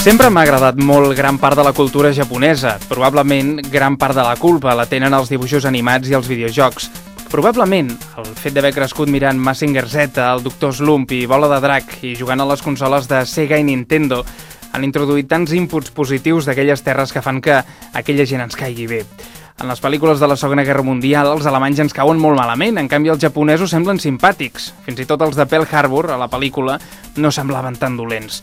Sempre m'ha agradat molt gran part de la cultura japonesa. Probablement gran part de la culpa la tenen els dibuixos animats i els videojocs. Probablement el fet d'haver crescut mirant Mazinger Z, el Doctor Slump i Bola de Drac i jugant a les consoles de Sega i Nintendo han introduït tants inputs positius d'aquelles terres que fan que aquella gent ens caigui bé. En les pel·lícules de la Segona Guerra Mundial els alemanys ens cauen molt malament, en canvi els japonesos semblen simpàtics. Fins i tot els de Pearl Harbor, a la pel·lícula, no semblaven tan dolents.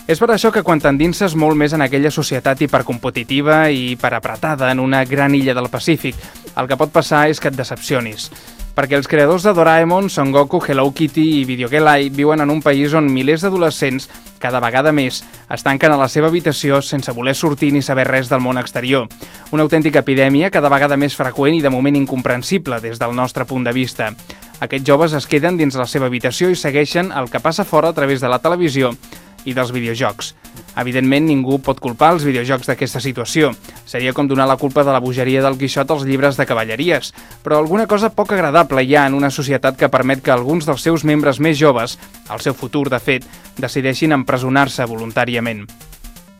És per això que quan t'endinses molt més en aquella societat hipercompetitiva i hiperapretada en una gran illa del Pacífic, el que pot passar és que et decepcionis. Perquè els creadors de Doraemon, Son Goku, Hello Kitty i Video Gelai viuen en un país on milers d'adolescents, cada vegada més, es tanquen a la seva habitació sense voler sortir ni saber res del món exterior. Una autèntica epidèmia cada vegada més freqüent i de moment incomprensible des del nostre punt de vista. Aquests joves es queden dins la seva habitació i segueixen el que passa fora a través de la televisió i dels videojocs. Evidentment, ningú pot culpar els videojocs d'aquesta situació. Seria com donar la culpa de la bogeria del Quixot als llibres de cavalleries. Però alguna cosa poc agradable hi ha en una societat que permet que alguns dels seus membres més joves, el seu futur, de fet, decideixin empresonar-se voluntàriament.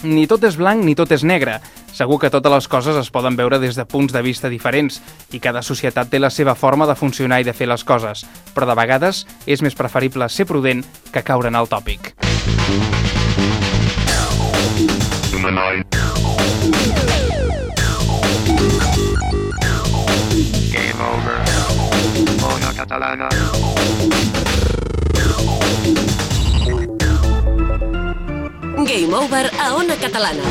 Ni tot és blanc ni tot és negre. Segur que totes les coses es poden veure des de punts de vista diferents i cada societat té la seva forma de funcionar i de fer les coses, però de vegades és més preferible ser prudent que caure en el tòpic. Game over. Ona Catalana. Game over a Ona Catalana.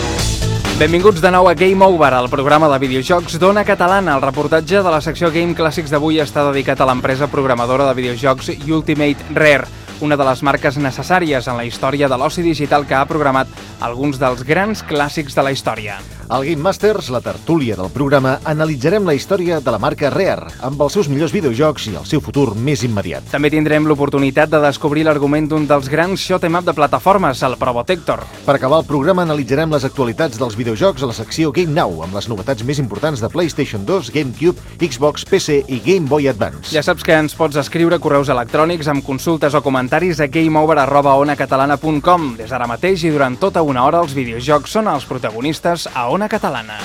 Benvinguts de nou a Game Over, el programa de videojocs d'Ona Catalana. El reportatge de la secció Game Clàssics d'avui està dedicat a l'empresa programadora de videojocs Ultimate Rare, una de les marques necessàries en la història de l'oci digital que ha programat alguns dels grans clàssics de la història. Al Game Masters, la tertúlia del programa, analitzarem la història de la marca Rare, amb els seus millors videojocs i el seu futur més immediat. També tindrem l'oportunitat de descobrir l'argument d'un dels grans shoot-em-up de plataformes, el Probotector. Per acabar el programa, analitzarem les actualitats dels videojocs a la secció Game Now, amb les novetats més importants de PlayStation 2, GameCube, Xbox, PC i Game Boy Advance. Ja saps que ens pots escriure correus electrònics amb consultes o comentaris a gameover@onacatalana.com. Des d'ara mateix i durant tota una hora els videojocs són els protagonistes a Ona Catalana.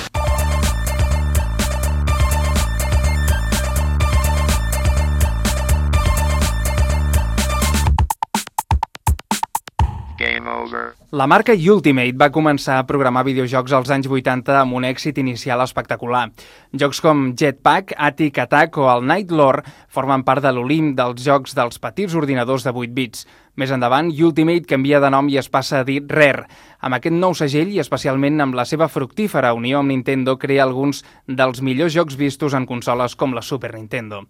Game over. La marca Ultimate va començar a programar videojocs als anys 80 amb un èxit inicial espectacular. Jocs com Jetpack, Attic Attack o el Night Lore formen part de l'Olimp dels jocs dels petits ordinadors de 8 bits. Més endavant, Ultimate canvia de nom i es passa a dir Rare. Amb aquest nou segell i especialment amb la seva fructífera unió amb Nintendo crea alguns dels millors jocs vistos en consoles com la Super Nintendo.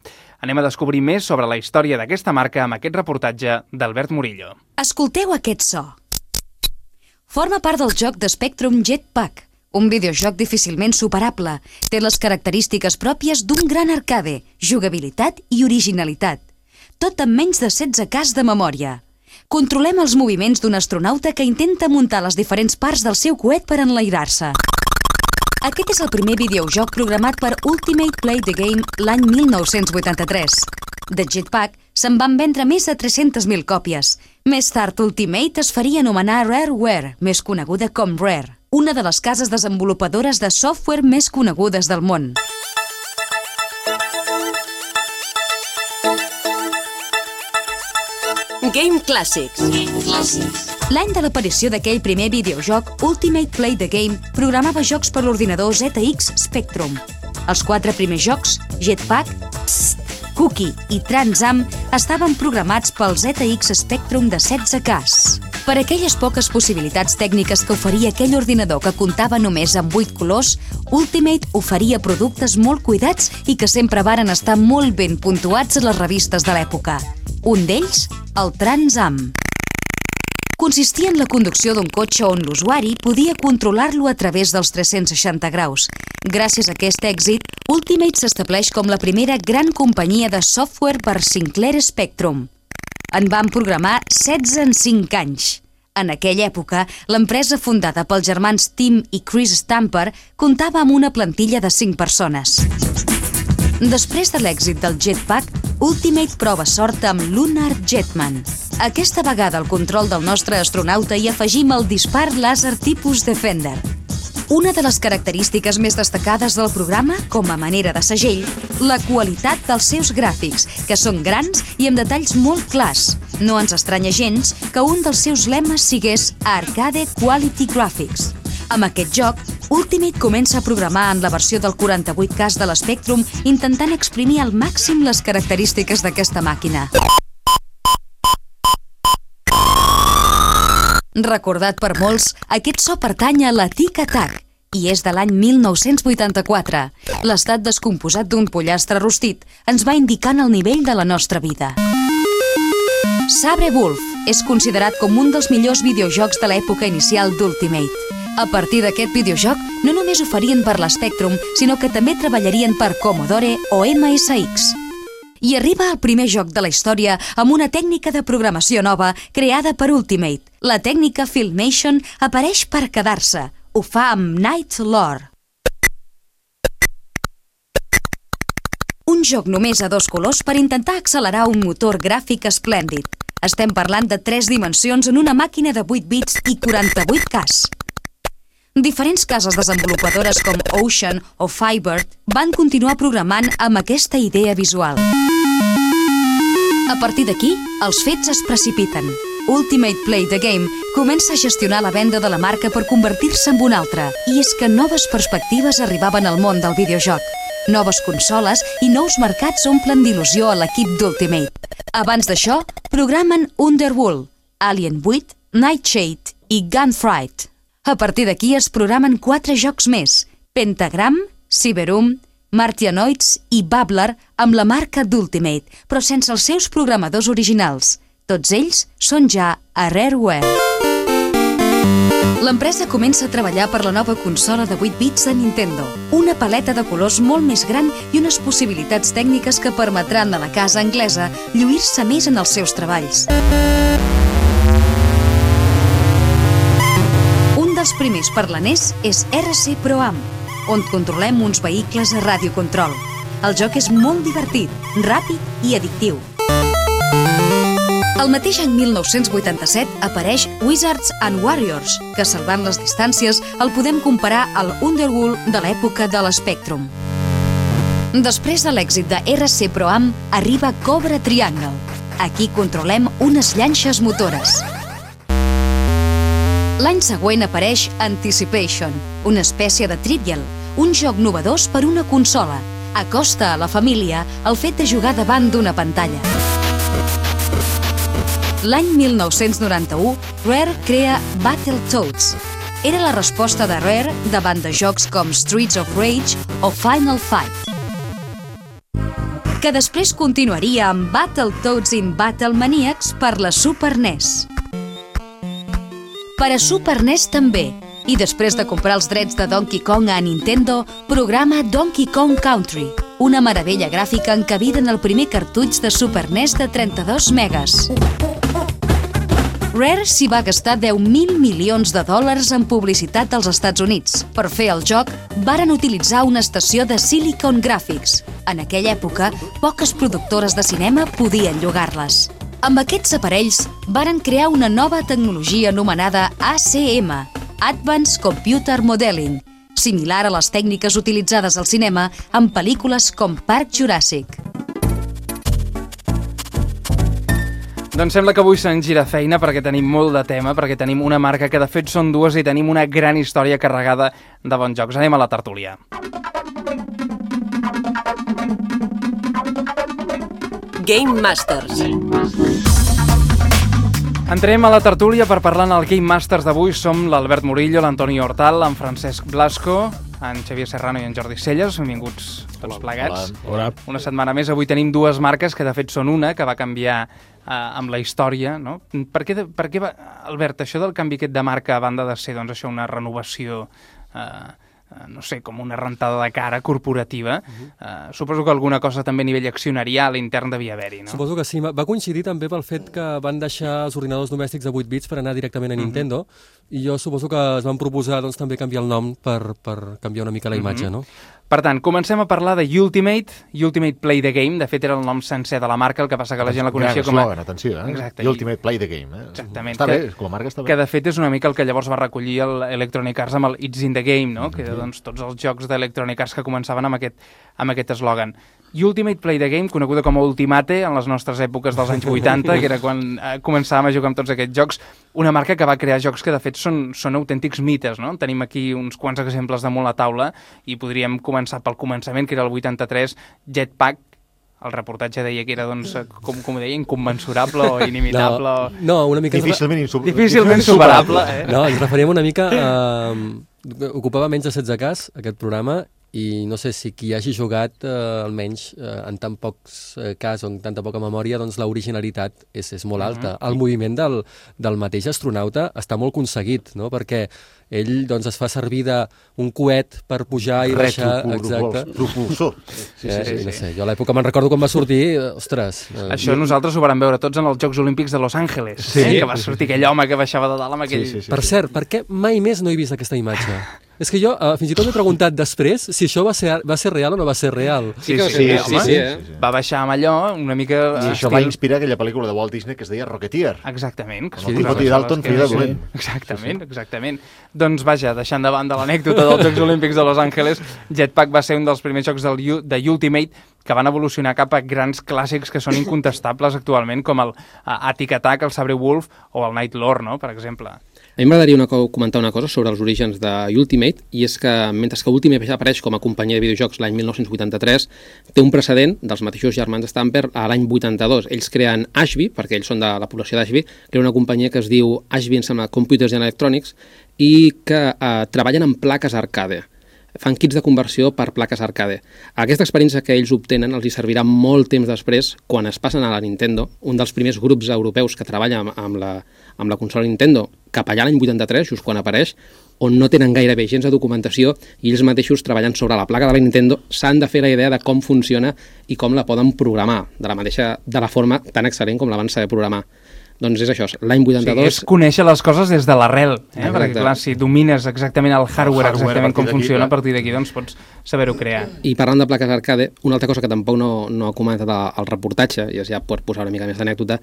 Anem a descobrir més sobre la història d'aquesta marca amb aquest reportatge d'Albert Murillo. Escolteu aquest so. Forma part del joc de Spectrum Jetpack, un videojoc difícilment superable. Té les característiques pròpies d'un gran arcade, jugabilitat i originalitat. Tot amb menys de 16K de memòria. Controlem els moviments d'un astronauta que intenta muntar les diferents parts del seu coet per enlairar-se. Aquest és el primer videojoc programat per Ultimate Play the Game l'any 1983. De Jetpack se'n van vendre més de 300.000 còpies. Més tard, Ultimate es faria anomenar Rareware, més coneguda com Rare, una de les cases desenvolupadores de software més conegudes del món. Game Classics. L'any de l'aparició d'aquell primer videojoc, Ultimate Play the Game programava jocs per l'ordinador ZX Spectrum. Els 4 primers jocs, Jetpack, Cookie i Transam, estaven programats pel ZX Spectrum de 16K. Per aquelles poques possibilitats tècniques que oferia aquell ordinador que comptava només amb 8 colors, Ultimate oferia productes molt cuidats i que sempre varen estar molt ben puntuats a les revistes de l'època. Un d'ells, el Transam. Consistia en la conducció d'un cotxe on l'usuari podia controlar-lo a través dels 360 graus. Gràcies a aquest èxit, Ultimate s'estableix com la primera gran companyia de software per Sinclair Spectrum. En van programar 16 en 5 anys. En aquella època, l'empresa fundada pels germans Tim i Chris Stamper comptava amb una plantilla de 5 persones. Després de l'èxit del Jetpack, Ultimate prova sort amb Lunar Jetman. Aquesta vegada al control del nostre astronauta hi afegim el dispar làser tipus Defender. Una de les característiques més destacades del programa, com a manera de segell, la qualitat dels seus gràfics, que són grans i amb detalls molt clars. No ens estranya gens que un dels seus lemes sigués Arcade Quality Graphics. Amb aquest joc, Ultimate comença a programar en la versió del 48K de l'Spectrum, intentant exprimir al màxim les característiques d'aquesta màquina. Recordat per molts, aquest so pertany a la Tic Tac i és de l'any 1984. L'estat descomposat d'un pollastre rostit ens va indicant el nivell de la nostra vida. Sabre Wulf és considerat com un dels millors videojocs de l'època inicial d'Ultimate. A partir d'aquest videojoc, no només ho farien per l'Spectrum, sinó que també treballarien per Commodore o MSX. I arriba el primer joc de la història amb una tècnica de programació nova creada per Ultimate. La tècnica Filmation apareix per quedar-se. Ho fa amb Night Lore. Un joc només a 2 colors per intentar accelerar un motor gràfic esplèndid. Estem parlant de 3 dimensions en una màquina de 8 bits i 48K. Diferents cases desenvolupadores com Ocean o Firebird van continuar programant amb aquesta idea visual. A partir d'aquí, els fets es precipiten. Ultimate Play the Game comença a gestionar la venda de la marca per convertir-se en una altra, i és que noves perspectives arribaven al món del videojoc. Noves consoles i nous mercats omplen d'il·lusió a l'equip d'Ultimate. Abans d'això, programen Underworld, Alien 8, Nightshade i Gunfight. A partir d'aquí es programen 4 jocs més: Pentagram, Cyberum, Martianoids i Babbler amb la marca d'Ultimate, però sense els seus programadors originals. Tots ells són ja a Rareware. L'empresa comença a treballar per la nova consola de 8 bits de Nintendo. Una paleta de colors molt més gran i unes possibilitats tècniques que permetran a la casa anglesa lluir-se més en els seus treballs. Un dels primers per la NES és RC Pro-Am, on controlem uns vehicles a radiocontrol. El joc és molt divertit, ràpid i addictiu. El mateix any 1987 apareix Wizards and Warriors, que salvant les distàncies el podem comparar al Underworld de l'època de l'Spectrum. Després de l'èxit de RC Pro-Am arriba Cobra Triangle. Aquí controlem unes llanxes motores. L'any següent apareix Anticipation, una espècie de Trivial, un joc novedós per una consola. Acosta a la família el fet de jugar davant d'una pantalla. L'any 1991, Rare crea Battletoads. Era la resposta de Rare davant de jocs com Streets of Rage o Final Fight, que després continuaria amb Battletoads in Battle Maniacs per la Super NES. Per a Super NES també, i després de comprar els drets de Donkey Kong a Nintendo, programa Donkey Kong Country, una meravella gràfica encabida en el primer cartutx de Super NES de 32 megas. Rare s'hi va gastar $10.000 milions en publicitat als Estats Units. Per fer el joc, varen utilitzar una estació de Silicon Graphics. En aquella època, poques productores de cinema podien llogar-les. Amb aquests aparells, varen crear una nova tecnologia anomenada ACM, Advanced Computer Modeling, similar a les tècniques utilitzades al cinema en pel·lícules com Parc Juràssic. Doncs sembla que avui se'n gira feina perquè tenim molt de tema, perquè tenim una marca que de fet són dues i tenim una gran història carregada de bons jocs. Anem a la tertúlia. Game Masters. Entrem a la tertúlia per parlar en el Game Masters d'avui. Som l'Albert Murillo, l'Antoni Hortal, en Francesc Blasco, en Xavier Serrano i en Jordi Celles. Benvinguts tots plegats. Hola. Una setmana més. Avui tenim dues marques que de fet són una, que va canviar amb la història, no? Per què va, Albert, això del canvi aquest de marca, a banda de ser doncs, això una renovació, no sé, com una rentada de cara corporativa, suposo que alguna cosa també a nivell accionarial intern devia haver-hi, no? Suposo que sí. Va coincidir també pel fet que van deixar els ordinadors domèstics de 8 bits per anar directament a Nintendo i jo suposo que es van proposar doncs, també canviar el nom per canviar una mica la imatge, no? Per tant, comencem a parlar de Ultimate Play the Game. De fet, era el nom sencer de la marca, el que passa que la gent la coneixia com a... Gran eslògan, atenció, Exacte. Ultimate Play the Game. Exactament. Està bé, com a marca està bé. Que de fet és una mica el que llavors va recollir l'Electronic Arts amb el It's in the Game, no? Que era doncs, tots els jocs d'Electronic Arts que començaven amb aquest eslògan. Ultimate Play the Game, coneguda com a Ultimate en les nostres èpoques dels anys 80, que era quan començàvem a jugar amb tots aquests jocs, una marca que va crear jocs que de fet són autèntics mites, no? Tenim aquí uns quants exemples damunt la taula i podríem començar pel començament, que era el 83, Jetpack. El reportatge deia que era, doncs, com ho deia, incommensurable o inimitable. No, una mica... Difícilment superable. No, ens referíem una mica a... Ocupava menys de 16K aquest programa i no sé si qui hagi jugat, almenys en tan pocs cas o en tanta poca memòria, doncs l'originalitat és molt alta. El moviment del mateix astronauta està molt aconseguit, no? Perquè ell doncs, es fa servir d'un coet per pujar i baixar. Exacte. Propulsor. No sé, jo a l'època me'n recordo quan va sortir, ostres... Això nosaltres ho vam veure tots en els Jocs Olímpics de Los Angeles, que va sortir aquell home que baixava de dalt amb aquell... Per cert, per què mai més no he vist aquesta imatge? És que jo fins i tot m'he preguntat després si això va ser real o no va ser real. Sí. Va baixar amb allò una mica... I això va inspirar aquella pel·lícula de Walt Disney que es deia Rocketeer. Exactament. El Timothy Dalton feia de dolent. Exactament. Doncs vaja, deixant de banda l'anècdota dels Jocs Olímpics de Los Angeles, Jetpack va ser un dels primers jocs de Ultimate que van evolucionar cap a grans clàssics que són incontestables actualment, com el Attic Attack, el Sabre Wolf o el Night Lord, no?, per exemple. A mi m'agradaria comentar una cosa sobre els orígens d'Ultimate, i és que mentre que Ultimate apareix com a companyia de videojocs l'any 1983, té un precedent dels mateixos germans Stamper a l'any 82. Ells creen Ashby, perquè ells són de la població d'Ashby, creen una companyia que es diu Ashby, em sembla, Computers and Electronics, i que treballen en plaques arcade. Fan kits de conversió per plaques arcade. Aquesta experiència que ells obtenen els hi servirà molt temps després, quan es passen a la Nintendo, un dels primers grups europeus que treballa amb la consola Nintendo, cap allà l'any 83, just quan apareix, on no tenen gairebé gens de documentació i ells mateixos treballant sobre la placa de la Nintendo s'han de fer la idea de com funciona i com la poden programar, de la forma tan excel·lent com la van saber programar. Doncs és això, l'any 82... Sí, és conèixer les coses des de l'arrel, perquè clar, si domines exactament el hardware exactament com funciona, a partir d'aquí doncs pots saber-ho crear. I parlant de plaques arcade, una altra cosa que tampoc no ha comentat el reportatge, i ja per posar una mica més d'anècdota,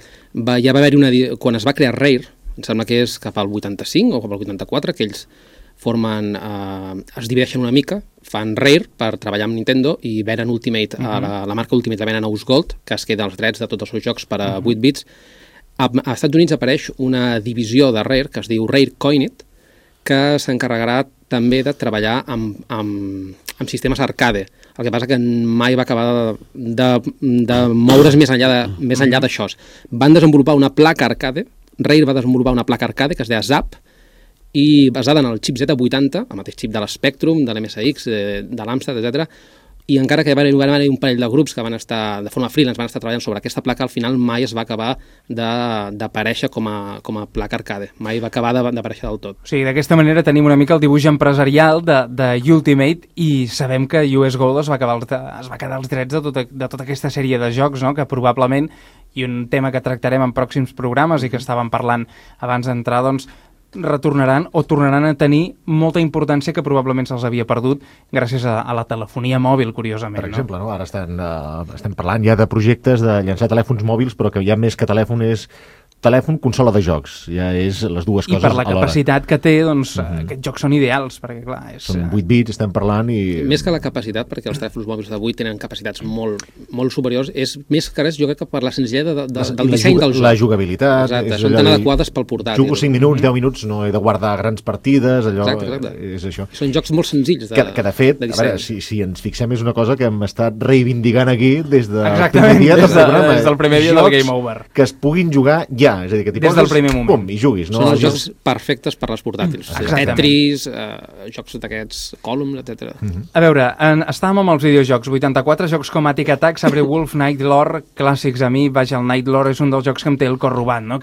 ja va haver-hi quan es va crear Rare, em sembla que és cap al 85 o cap al 84, que ells formen, es divideixen una mica, fan Rare per treballar amb Nintendo i venen Ultimate, la marca Ultimate la venen a Osgold, que es queda els drets de tots els seus jocs per a 8 bits. Als Estats Units apareix una divisió de Rare que es diu Rare Coinit, que s'encarregarà també de treballar amb sistemes arcade. El que passa que mai va acabar de moure's més enllà d'això. Van desenvolupar una placa arcade, Rare va desenvolupar una placa arcade que es deia Zap, i basada en el xip Z80, el mateix xip de l'Spectrum, de l'MSX, de l'Amstrad, etc. I encara que van haver un parell de grups que van estar, de forma freelance, van estar treballant sobre aquesta placa, al final mai es va acabar d'aparèixer com a placa arcade. Mai va acabar d'aparèixer del tot. O sigui, d'aquesta manera tenim una mica el dibuix empresarial de Ultimate i sabem que US Gold es va quedar els drets de tota aquesta sèrie de jocs, no?, que probablement, i un tema que tractarem en pròxims programes i que estàvem parlant abans d'entrar, doncs, retornaran o tornaran a tenir molta importància que probablement se'ls havia perdut gràcies a la telefonia mòbil, curiosament. Per exemple, no? Ara estem parlant ja de projectes de llançar telèfons mòbils, però que ja més que telèfon és telèfon, consola de jocs. Ja és les dues coses alhora. I per la capacitat que té, doncs, aquests jocs són ideals, perquè clar... Són 8 bits, estem parlant i... Més que la capacitat, perquè els telèfons mòbils d'avui tenen capacitats molt superiors, és més que res, jo crec que per la senzillesa del disseny del joc. La jugabilitat... Exacte, són tan adequades pel portàtil. Jugo 5 minuts, 10 minuts, no he de guardar grans partides, allò... Exacte. És això. Són jocs molt senzills de que de fet, a veure, si ens fixem, és una cosa que hem estat reivindicant aquí des del primer dia del Game Over. Que es puguin jugar ja, és a dir, que t'hi poses primer moment. Pum, i juguis. No? Són els jocs perfectes per les portàtils. Tetris, jocs d'aquests, Columns, etc. A veure, estàvem amb els videojocs. 84 jocs com Attic Attack, Sabre Wolf, Night Lord, clàssics a mi. Vaja, el Night Lord és un dels jocs que em té el cor robat, no?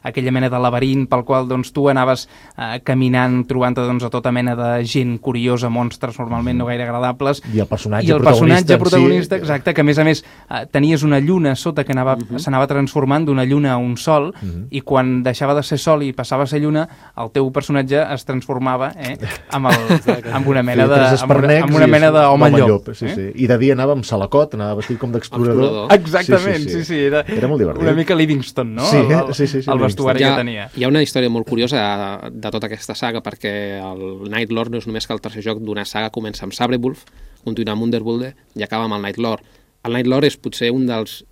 Aquella mena de laberint pel qual doncs, tu anaves caminant, trobant-te doncs, a tota mena de gent curiosa, monstres normalment no gaire agradables. I el personatge protagonista, exacte, que a més tenies una lluna sota que s'anava transformant d'una lluna a un sol, sol, i quan deixava de ser sol i passava a ser lluna, el teu personatge es transformava amb una mena d'home llop. I de dia anava amb salacot, anava vestit com d'explorador. Exactament, sí. Era molt divertit. Una mica Livingston, no? Sí. El vestuari que tenia. Hi ha una història molt curiosa de tota aquesta saga, perquè el Night Lord no és només que el tercer joc d'una saga comença amb Sabrewulf, continua amb Underworld i acaba amb el Night Lord. El Night Lord és potser un dels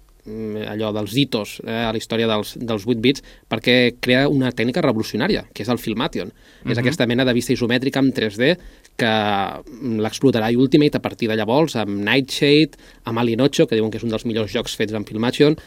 hitos a la història dels 8 bits, perquè crea una tècnica revolucionària, que és el Filmation. És aquesta mena de vista isomètrica en 3D que l'explotarà Ultimate a partir de llavors, amb Nightshade, amb Alien 8, que diuen que és un dels millors jocs fets en Filmation,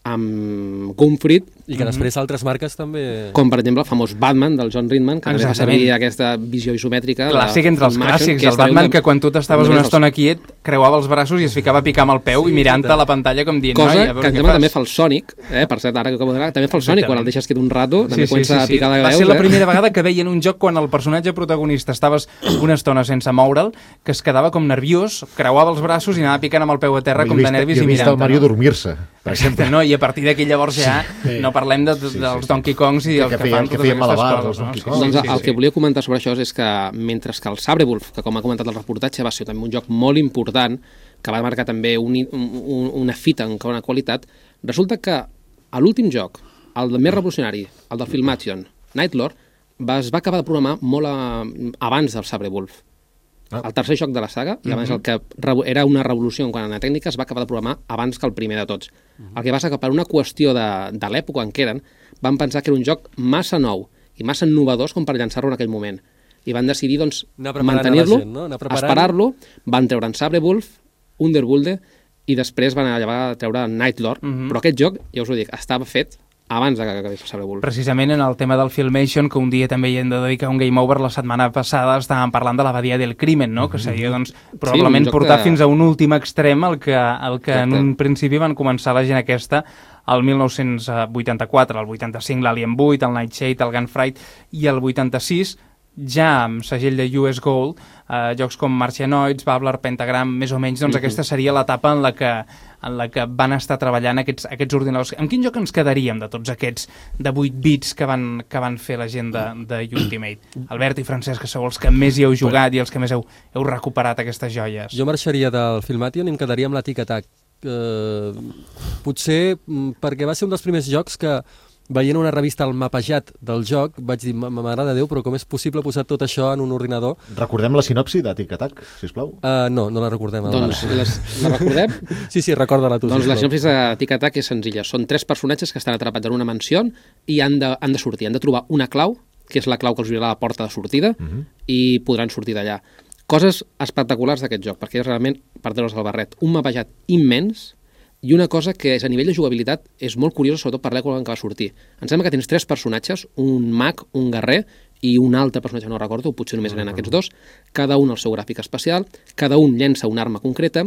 amb Gunfried. I que després altres marques també... Com, per exemple, el famós Batman del John Ridman, que també va servir aquesta visió isomètrica. Clàssic entre els clàssics. El Batman que quan tu t'estaves una estona quiet creuava els braços i es ficava a picar amb el peu i mirant-te a la pantalla com dient... Cosa que també fa el Sonic, per cert, ara que també fa el Sonic, quan el deixes quiet un rato, també comença a picar de veus. Va ser la primera vegada que veien un joc quan el personatge protagonista estaves una estona sense moure'l, que es quedava com nerviós, creuava els braços i anava picant amb el peu a terra com de nervis i mirant-te. Jo he vist el Mario dormir-se, per exemple. No, i a partir d'aquí llavors ja no parlem dels Donkey Kongs i el que fan totes aquestes coses. Doncs el que volia comentar sobre això és que mentre que el Sabrewulf, que com ha comentat el reportatge va ser també un joc molt important, que va marcar també una fita en una qualitat, resulta que a l'últim joc, el més revolucionari, el del Filmation, Night Lord, es va acabar de programar molt abans del Sabrewulf. El tercer joc de la saga, i abans el que era una revolució en quant a tècnica, es va acabar de programar abans que el primer de tots. El que passa que per una qüestió de l'època en què eren, van pensar que era un joc massa nou i massa innovador com per llançar-lo en aquell moment. I van decidir, doncs, mantenir-lo, esperar-lo, van treure en Sabrewulf, Underworld, i després van llevar a treure Night Lord. Però aquest joc, ja us ho dic, estava fet abans que acabés el Sabrewulf. Precisament en el tema del Filmation, que un dia també hi hem de dedicar un Game Over, la setmana passada estàvem parlant de la badia del crimen, no? Que seria, doncs, probablement portar fins a un últim extrem el que en un principi van començar la gent aquesta el 1984, el 85 l'Alien 8, el Nightshade, el Gunfried, i el 86 ja amb segell de US Gold, jocs com Martianoids, Babbler, Pentagram, més o menys, doncs aquesta seria l'etapa en la que van estar treballant aquests ordinadors. En quin joc ens quedaríem de tots aquests de 8 bits que van fer la gent de Ultimate? Albert i Francesc, que sou els que més hi heu jugat i els que més heu recuperat aquestes joies. Jo marxaria del Filmation i em quedaria amb la Tic Tac. Potser perquè va ser un dels primers jocs que, veient una revista al mapejat del joc, vaig dir, m'agrada Déu, però com és possible posar tot això en un ordinador? Recordem la sinopsi de Tic Tac, sisplau. No la recordem. Doncs la recordem? Sí, recorda-la tu. Doncs la sinopsi de Tic Tac és senzilla. Són 3 personatges que estan atrapats en una mansió i han de sortir. Han de trobar una clau, que és la clau que els obrirà la porta de sortida, i podran sortir d'allà. Coses espectaculars d'aquest joc, perquè és realment, per treure's el barret, un mapejat immens. I una cosa que és, a nivell de jugabilitat és molt curiosa, sobretot per l'època en què va sortir. Em sembla que tens 3 personatges, un mag, un guerrer i un altre personatge, no recordo, potser només eren aquests 2, cada un el seu gràfic especial, cada un llença una arma concreta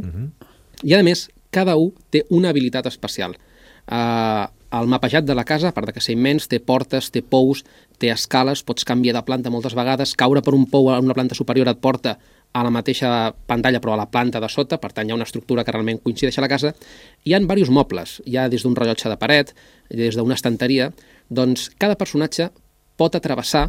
i, a més, cada un té una habilitat especial. El mapejat de la casa, a part que ser immens, té portes, té pous, té escales, pots canviar de planta moltes vegades, caure per un pou a una planta superior et porta a la mateixa pantalla però a la planta de sota, per tant hi ha una estructura que realment coincideix a la casa. Hi ha diversos mobles, hi ha des d'un rellotge de paret, des d'una estanteria, doncs cada personatge pot atrevessar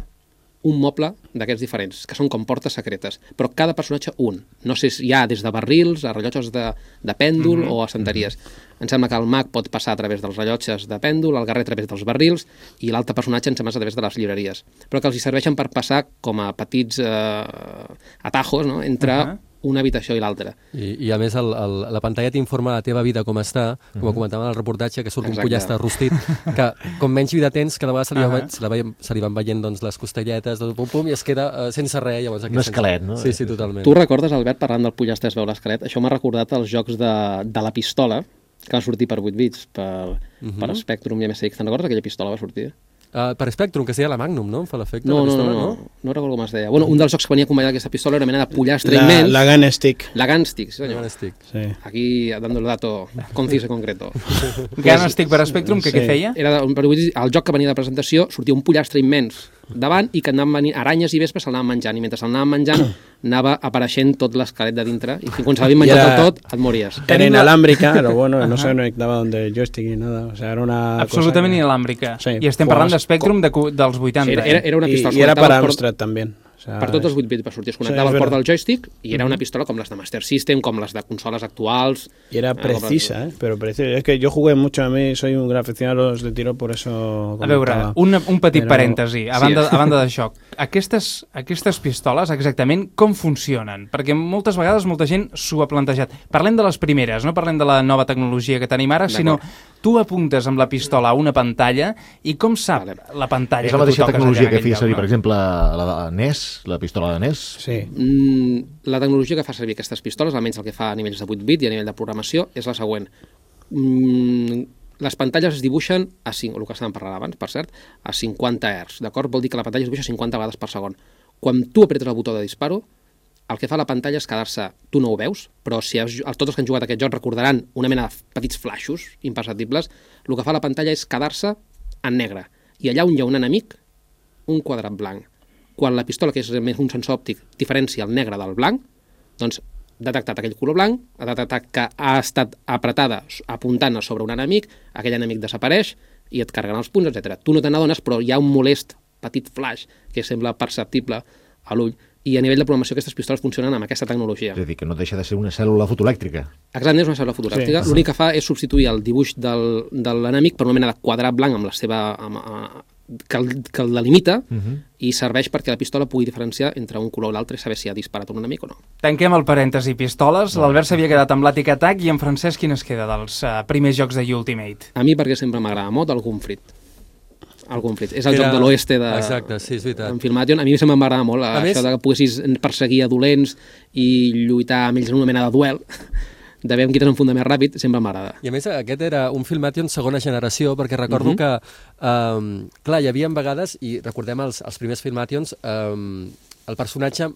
un moble d'aquests diferents, que són com portes secretes, però cada personatge un. No sé si hi ha des de barrils a rellotges de pèndol o a estanteries. Em sembla que el mag pot passar a través dels rellotges de pèndol, el guerrer a través dels barrils i l'altre personatge em sembla a través de les llibreries, però que els hi serveixen per passar com a petits atajos, no?, entre una habitació i l'altra. I a més la pantalla t'informa la teva vida com està, com comentàvem en el reportatge, que surt un pollastre rostit, que com menys vida tens, cada vegada se li van veient doncs, les costelletes, i es queda sense res. Llavors, un esquelet, no? Sí, totalment. Tu recordes, Albert, parlant del pollastre es veu l'esquelet? Això m'ha recordat els jocs de la pistola, que va sortir per 8 bits, per Spectrum i MSX. Te'n recordes aquella pistola va sortir? Per Spectrum, que es deia la Magnum, no? Em fa l'efecte. No recordo com es deia. Bueno, un dels jocs que venia acompanyat d'aquesta pistola era una mena de pollastre immens. La Gun Stick. La Gun Stick, sí senyor. Sí. Aquí, dando el dato conciso y concreto. Gun Stick per Spectrum, què feia? Era el joc que venia de presentació, sortia un pollastre immens davant i que anaven venint aranyes i vespes, se'l anaven menjant, i mentre se'l anaven menjant anava apareixent tot l'esquelet de dintre, i quan se l'havien menjat del tot, et mories. Era inalámbrica, pero bueno, no se conectaba donde el joystick ni nada, o sea, era una absolutament cosa inalàmbrica. Sí, I estem parlant de Spectrum dels 80. Sí, era una pistola. y era para Amstrad también. O sea, per tots els 8 bits va sortir, es connectava al port del joystick i era una pistola com les de Master System, com les de consoles actuals. Y era precisa, pero precisa. Es que yo jugué mucho, a mí soy un gran aficionado a los de tiro, por eso A veure, un petit parèntesi, a banda d'això. Aquestes pistoles, exactament, com funcionen? Perquè moltes vegades molta gent s'ho ha plantejat. Parlem de les primeres, no parlem de la nova tecnologia que tenim ara, sinó tu apuntes amb la pistola a una pantalla i com sap la pantalla és la mateixa tecnologia que feia servir, per exemple, la NES, la pistola de NES? Sí. La tecnologia que fa servir aquestes pistoles, almenys el que fa a nivells de 8 bit i a nivell de programació, és la següent. Les pantalles es dibuixen el que estàvem parlant abans, per cert, a 50 Hz, d'acord? Vol dir que la pantalla es dibuixa 50 vegades per segon. Quan tu apretes el botó de disparo, el que fa la pantalla és quedar-se, tu no ho veus, però si tots els que han jugat a aquest joc recordaran una mena de petits flaixos imperceptibles, el que fa la pantalla és quedar-se en negre. I allà on hi ha un enemic, un quadrat blanc. Quan la pistola, que és més un sensor òptic, diferencia el negre del blanc, doncs ha detectat aquell color blanc, ha detectat que ha estat apretada apuntant sobre un enemic, aquell enemic desapareix i et carreguen els punts, etc. Tu no te n'adones, però hi ha un molest petit flash que sembla perceptible a l'ull, i a nivell de programació aquestes pistoles funcionen amb aquesta tecnologia. És a dir, que no deixa de ser una cèl·lula fotoelèctrica. Exactament, és una cèl·lula fotoelèctrica. Sí. L'únic que fa és substituir el dibuix de l'enemic per una mena de quadrat blanc amb la seva... que el delimita i serveix perquè la pistola pugui diferenciar entre un color i l'altre i saber si ha disparat un enemic o no. Tanquem el parèntesi pistoles. L'Albert s'havia quedat amb l'Àtic Attack i en Francesc quin es queda dels primers jocs de Ultimate? A mi perquè sempre m'agrada molt el Gunfrit. El Gunfrit. És el joc de l'oeste de... Exacte, sí, és veritat. En Filmation. A mi sempre m'agrada molt això de que poguessis perseguir a dolents i lluitar amb ells en una mena de duel. De veure qui tenen un funda més ràpid, sempre m'agrada. I a més, aquest era un Filmation segona generació, perquè recordo que, clar, hi havia vegades, i recordem els primers Filmations, el personatge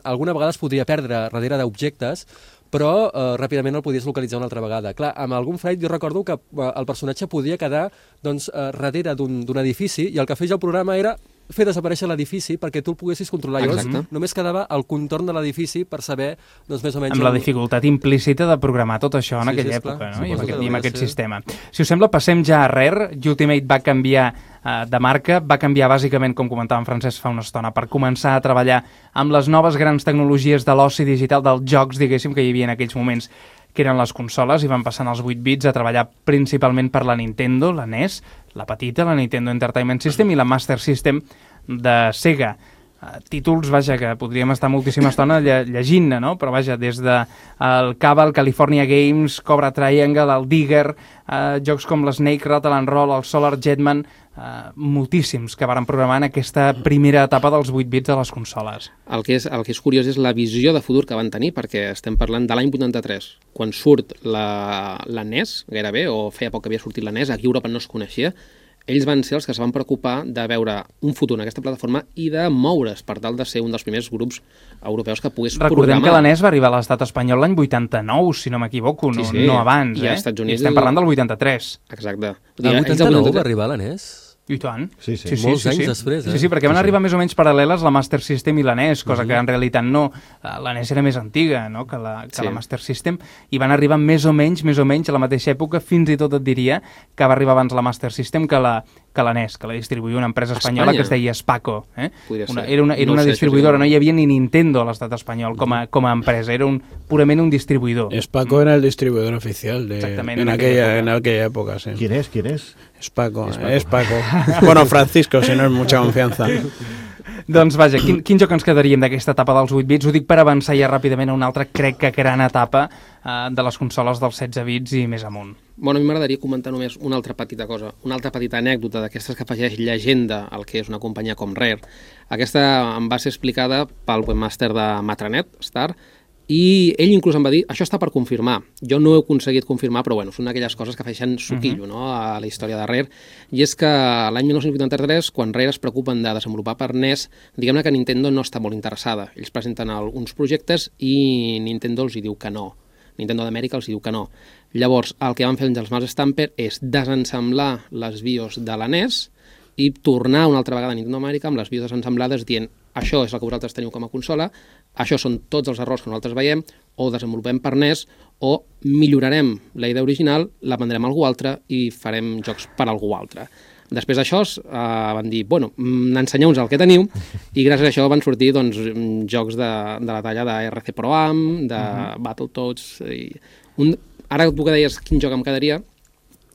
alguna vegada es podria perdre darrere d'objectes, però ràpidament el podies localitzar una altra vegada. Clar, amb algun Fight jo recordo que el personatge podia quedar darrere d'un edifici i el que feia el programa era fer desaparèixer l'edifici perquè tu el poguessis controlar. Llavors, només quedava el contorn de l'edifici per saber, doncs, més o menys... Amb la dificultat implícita de programar tot això en aquella època, no? I amb aquest sistema. Si us sembla, passem ja a Rare. Ultimate va canviar de marca, va canviar bàsicament, com comentava en Francesc fa una estona, per començar a treballar amb les noves grans tecnologies de l'oci digital, dels jocs, diguéssim, que hi havia en aquells moments, que eren les consoles, i van passant els 8 bits a treballar principalment per la Nintendo, la NES, la petita, la Nintendo Entertainment System i la Master System de Sega. Títols, vaja, que podríem estar moltíssima estona llegint-ne, no? Però vaja, des de el Cabal, California Games, Cobra Triangle, el Digger, jocs com l'Snake, Rattle and Roll, el Solar Jetman, moltíssims que varen programar en aquesta primera etapa dels 8 bits de les consoles. El que és curiós és la visió de futur que van tenir, perquè estem parlant de l'any 83, quan surt la NES, gairebé, o feia poc que havia sortit la NES, aquí a Europa no es coneixia. Ells van ser els que es van preocupar de veure un futur en aquesta plataforma i de moure's per tal de ser un dels primers grups europeus que pogués programar. Recordem que la NES va arribar a l'estat espanyol l'any 89, si no m'equivoco, no abans. I als Estats Units... I estem parlant del 83. Exacte. El 89 va arribar a la NES? I tant. Sí. Molts anys després, Sí, perquè van arribar més o menys paral·leles la Master System i la NES, cosa que en realitat no. La NES era més antiga, no?, que la Master System, i van arribar més o menys a la mateixa època, fins i tot et diria que va arribar abans la Master System que la NES, que la distribuïa una empresa espanyola que es deia Spaco. Era una distribuïdora, no hi havia ni Nintendo a l'estat espanyol com a empresa, era purament un distribuïdor. Spaco era el distribuidor oficial en aquella época, sí. ¿Quién es? Spaco. Bueno, Francisco, si no es mucha confianza. Doncs vaja, quin joc ens quedaríem d'aquesta etapa dels 8 bits? Ho dic per avançar ja ràpidament a una altra, crec que gran etapa de les consoles dels 16 bits i més amunt. Bueno, a mi m'agradaria comentar només una altra petita cosa, una altra petita anècdota d'aquestes que afegeix llegenda al que és una companyia com Rare. Aquesta em va ser explicada pel webmaster de Matranet, Star, i ell inclús em va dir, això està per confirmar. Jo no he aconseguit confirmar, però bueno, són aquelles coses que afegeixen suquillo a la història de Rare, i és que l'any 1983, quan Rare es preocupen de desenvolupar per NES, diguem-ne que Nintendo no està molt interessada. Ells presenten uns projectes i Nintendo els hi diu que no. Nintendo d'Amèrica els hi diu que no. Llavors, el que van fer els Miles Stamper és desensamblar les BIOS de la NES i tornar una altra vegada a Nintendo Amèrica amb les vides ensemblades dient això és el que vosaltres teniu com a consola, això són tots els errors que nosaltres veiem, o desenvolupem per NES, o millorarem la idea original, la vendrem a algú altre i farem jocs per a algú altre. Després d'això van dir, bueno, ensenyeu-nos el que teniu, i gràcies a això van sortir doncs, jocs de la talla de RC Pro Am, de Battletoads... Ara tu que deies quin joc em quedaria...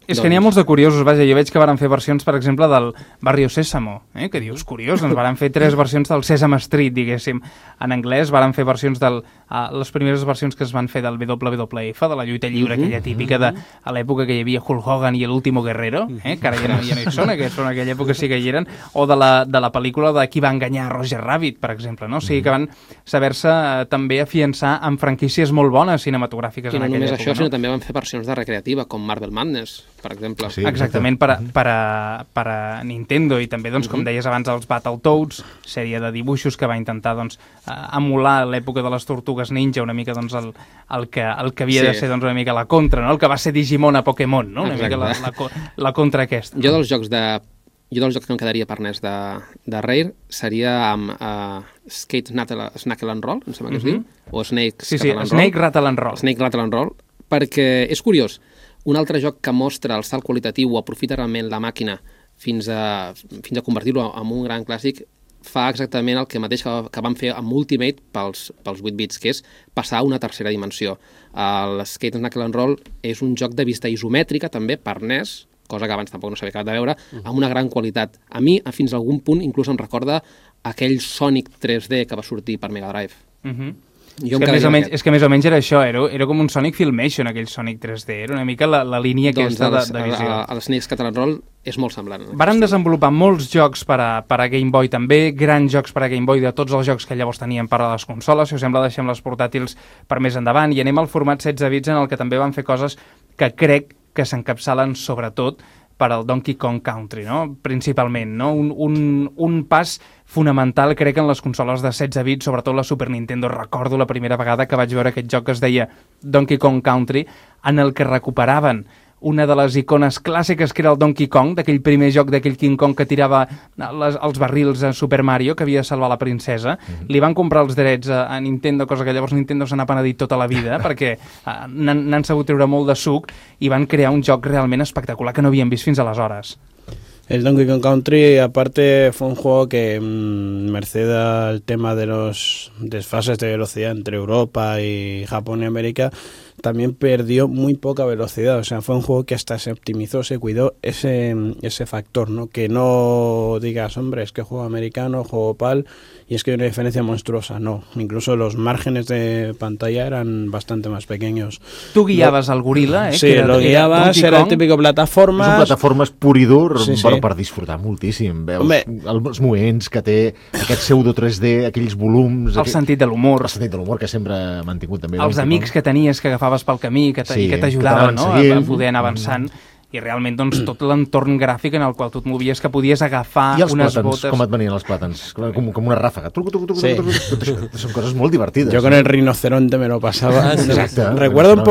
És que n'hi ha molts de curiosos, vaja, jo veig que van fer versions, per exemple, del Barrio Sésamo, que dius, curiós, doncs van fer 3 versions del Sesame Street, diguéssim, en anglès, van fer versions les primeres versions que es van fer del WWF, de la lluita lliure, aquella típica a l'època que hi havia Hulk Hogan i l'Último Guerrero, que ara ja no hi són, aquests en aquella època sí que hi eren, o de la pel·lícula de Qui va enganyar Roger Rabbit, per exemple, no? O sigui que van saber-se també afiançar amb franquícies molt bones cinematogràfiques en aquella època. I no només això, sinó també van fer versions de recreativa, com Marvel Madness, per exemple. Sí, exactament, per a Nintendo, i també, doncs, com deies abans, els Battletoads, sèrie de dibuixos que va intentar doncs, emular l'època de les Tortugues Ninja, una mica doncs, el que havia de ser doncs, una mica la contra, no? El que va ser Digimon a Pokémon, no? Una mica la contra aquesta. Jo dels jocs que em quedaria per NES de Rare seria amb Skate Snackle and Roll, em sembla que es diu, o Snake Rattle and Roll. Snake Rattle and Roll, perquè és curiós. Un altre joc que mostra el salt qualitatiu o aprofita realment la màquina fins a convertir-lo en un gran clàssic fa exactament el que mateix que van fer amb Ultimate pels 8 bits, que és passar a una tercera dimensió. El Skate Snackle and Roll és un joc de vista isomètrica també per NES, cosa que abans tampoc no s'havia acabat de veure, amb una gran qualitat. A mi, fins a algun punt, inclús em recorda aquell Sonic 3D que va sortir per Mega Drive. És que més o menys era això, era com un Sonic Filmation, aquell Sonic 3D, era una mica la línia aquesta de visió. El Snake Rattle and Roll és molt semblant. Varen desenvolupar molts jocs per a Game Boy també, grans jocs per a Game Boy de tots els jocs que llavors tenien per a les consoles, si us sembla deixem les portàtils per més endavant, i anem al format 16 bits en el que també van fer coses que crec que s'encapçalen sobretot per al Donkey Kong Country, no? Principalment, no? Un pas fonamental, crec, en les consoles de 16 bits, sobretot la Super Nintendo. Recordo la primera vegada que vaig veure aquest joc que es deia Donkey Kong Country, en el que recuperaven una de les icones clàssiques que era el Donkey Kong, d'aquell primer joc d'aquell King Kong que tirava els barrils a Super Mario, que havia de salvar la princesa. Li van comprar els drets a Nintendo, cosa que llavors Nintendo se n'ha penedit tota la vida, perquè n'han sabut treure molt de suc i van crear un joc realment espectacular que no havíem vist fins aleshores. El Donkey Kong Country, aparte, fue un juego que, merced al tema de los desfases de velocidad entre Europa y Japón y América, también perdió muy poca velocidad. O sea, fue un juego que hasta se optimizó, se cuidó ese factor, ¿no? Que no digas, hombre, es que juego americano, juego PAL, y es que hay una diferencia monstruosa. No, incluso los márgenes de pantalla eran bastante más pequeños. Tú guiabas al gorila, Sí, lo guiabas, era el típico plataformas. És un plataformes pur i dur, però per disfrutar moltíssim. Veus els moviments que té, aquest pseudo 3D, aquells volums... El sentit de l'humor. El sentit de l'humor que sempre ha mantingut també. Els amics que tenies que agafaves pel camí i que t'ajudaven, no? A poder anar avançant. I realment doncs, tot l'entorn gràfic en el qual tu et movies, que podies agafar unes botes... Com et venien els plàtans? Com una ràfaga. Son cosas muy divertidas. Yo con el rinoceronte me lo pasaba. Exacto. Recuerdo un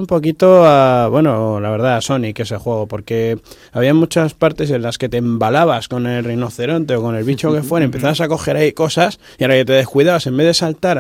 poquito a, bueno, la verdad, a Sonic ese juego, porque había muchas partes en las que te embalabas con el rinoceronte o con el bicho que fuera, empezabas a coger ahí cosas y ahora que te descuidabas, en vez de saltar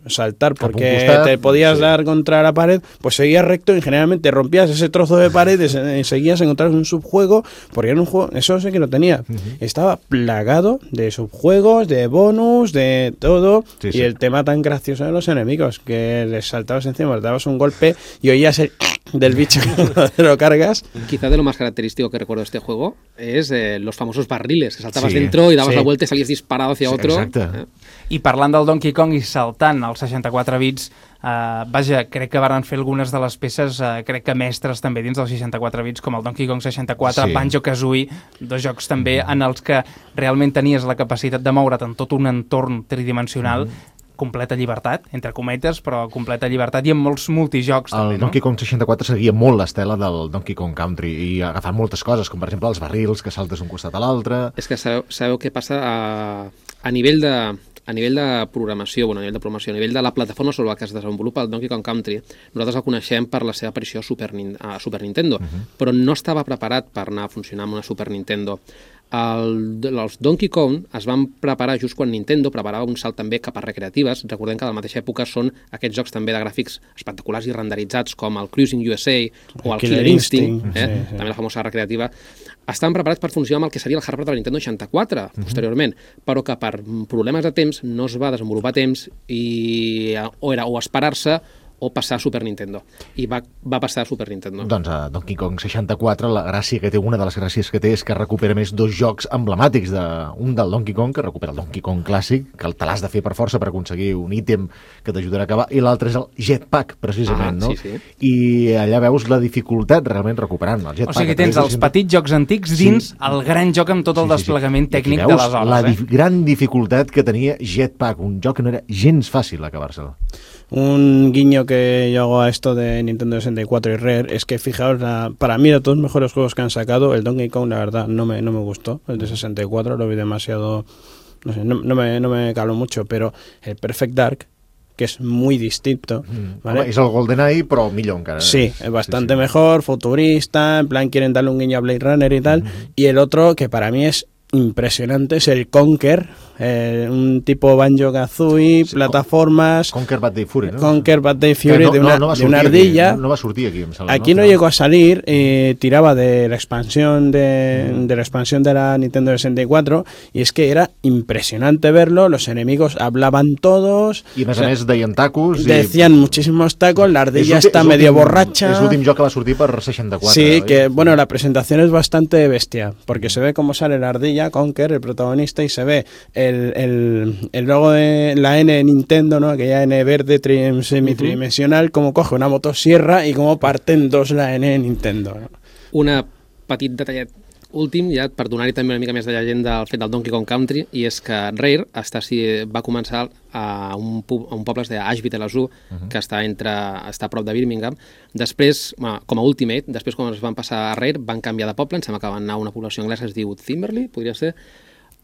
saltar porque te podías dar contra la pared, pues seguías recto y generalmente rompías ese trozo de pared y seguías encontrando un subjuego, porque era un juego, eso sí que lo tenía, estaba plagado de subjuegos, de bonus, de todo, y el tema tan gracioso de los enemigos, que les saltabas encima, les dabas un golpe y oías el del bicho cuando te lo cargas. Quizá de lo más característico que recuerdo de este juego es los famosos barriles, que saltabas dentro y dabas la vuelta y salías disparado hacia otro. Exacte. I parlant del Donkey Kong i saltant als 64 bits, vaja, crec que varen fer algunes de les peces, crec que mestres també dins dels 64 bits, com el Donkey Kong 64, Banjo-Kazooie, dos jocs també en els que realment tenies la capacitat de moure't en tot un entorn tridimensional, completa llibertat, entre cometes, però completa llibertat, i amb molts multijocs també, no? El Donkey Kong 64 seguia molt l'estela del Donkey Kong Country i agafant moltes coses, com per exemple els barrils que saltes d'un costat a l'altre. És que sabeu què passa a nivell de... a nivell de programació, a nivell de la plataforma sobre la que es desenvolupa el Donkey Kong Country, nosaltres el coneixem per la seva aparició a Super Nintendo, però no estava preparat per anar a funcionar amb una Super Nintendo. Els Donkey Kong es van preparar just quan Nintendo preparava un salt també cap a recreatives. Recordem que a la mateixa època són aquests jocs també de gràfics espectaculars i renderitzats com el Cruising USA o el Killer Instinct, també la famosa recreativa. Estan preparats per funcionar amb el que seria el hardware de la Nintendo 64 posteriorment, però que per problemes de temps no es va desenvolupar a temps i o esperar-se o passar a Super Nintendo. I va passar a Super Nintendo. Doncs a Donkey Kong 64 la gràcia que té, una de les gràcies que té, és que recupera més dos jocs emblemàtics, un del Donkey Kong, que recupera el Donkey Kong clàssic, que te l'has de fer per força per aconseguir un ítem que t'ajudarà a acabar, i l'altre és el Jetpack, precisament, no? Sí. I allà veus la dificultat realment recuperant el Jetpack. O sigui que tens els petits jocs antics dins el gran joc amb tot el desplegament tècnic d'aleshores. La gran dificultat que tenia Jetpack, un joc que no era gens fàcil acabar-se'l. Un guiño que yo hago a esto de Nintendo 64 y Rare es que, fijaos, para mí de todos los mejores juegos que han sacado, el Donkey Kong, la verdad, no me gustó. El de 64 lo vi demasiado, no sé, no me caló mucho, pero el Perfect Dark, que es muy distinto, ¿vale? Home, és el GoldenEye, però millor encara. Sí, es bastante mejor, futurista, en plan quieren darle un guiño a Blade Runner y tal. Y el otro, que para mí es impresionante, es el Conker, un tipo Banjo-Kazooie, plataformas. Conker Bad Day Fury, ¿no? Conker Bad Day Fury, de una ardilla. Aquí, no va sortir aquí, em sembla. Aquí no llegó a salir, tiraba de la expansión de la Nintendo 64, y es que era impresionante verlo, los enemigos hablaban todos. I a més deien tacos. Decían muchísimos tacos, la ardilla está medio borracha. És l'últim joc que va sortir per 64. Sí, que bueno, la presentación es bastante bestia, porque se ve cómo sale la ardilla, Conker, el protagonista, y se ve el logo de la N de Nintendo, ¿no? Aquella N verde semitridimensional, como coge una motosierra y como parte en dos la N de Nintendo, ¿no? Una petit detallet últim, ja per donar-hi també una mica més de llegenda al fet del Donkey Kong Country, i és que Rare va començar a un poble de Ashby-de-la-Zoo, que està a prop de Birmingham. Després, com a Ultimate, després quan es van passar a Rare, van canviar de poble, em sembla que van anar a una població anglesa que es diu Thimberley, podria ser.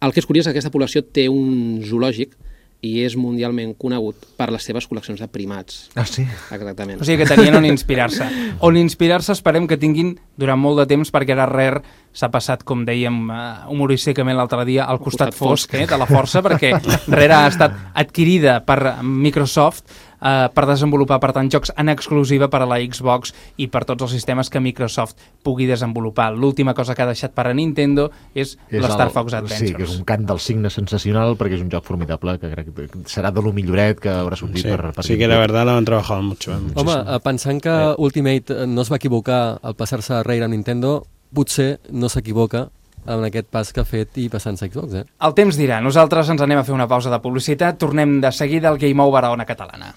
El que és curiós és que aquesta població té un zoològic i és mundialment conegut per les seves col·leccions de primats. Ah, sí? Exactament. O sigui que tenien on inspirar-se. On inspirar-se esperem que tinguin durant molt de temps, perquè ara Rare s'ha passat, com dèiem humorísticament l'altre dia, al costat fosc de la força, perquè Rare ha estat adquirida per Microsoft per desenvolupar, per tant, jocs en exclusiva per a la Xbox i per tots els sistemes que Microsoft pugui desenvolupar. L'última cosa que ha deixat per a Nintendo és l'Star Fox Adventures. Sí, que és un cant del cigne sensacional, perquè és un joc formidable que crec que serà de lo milloret que haurà sortit per sí, que la verdad lo han trabajado mucho. Home, pensant que Ultimate no es va equivocar al passar-se a Rare a Nintendo, potser no s'equivoca en aquest pas que ha fet i passant-se a Xbox, El temps dirà. Nosaltres ens anem a fer una pausa de publicitat. Tornem de seguida al Game Over a Ona Catalana.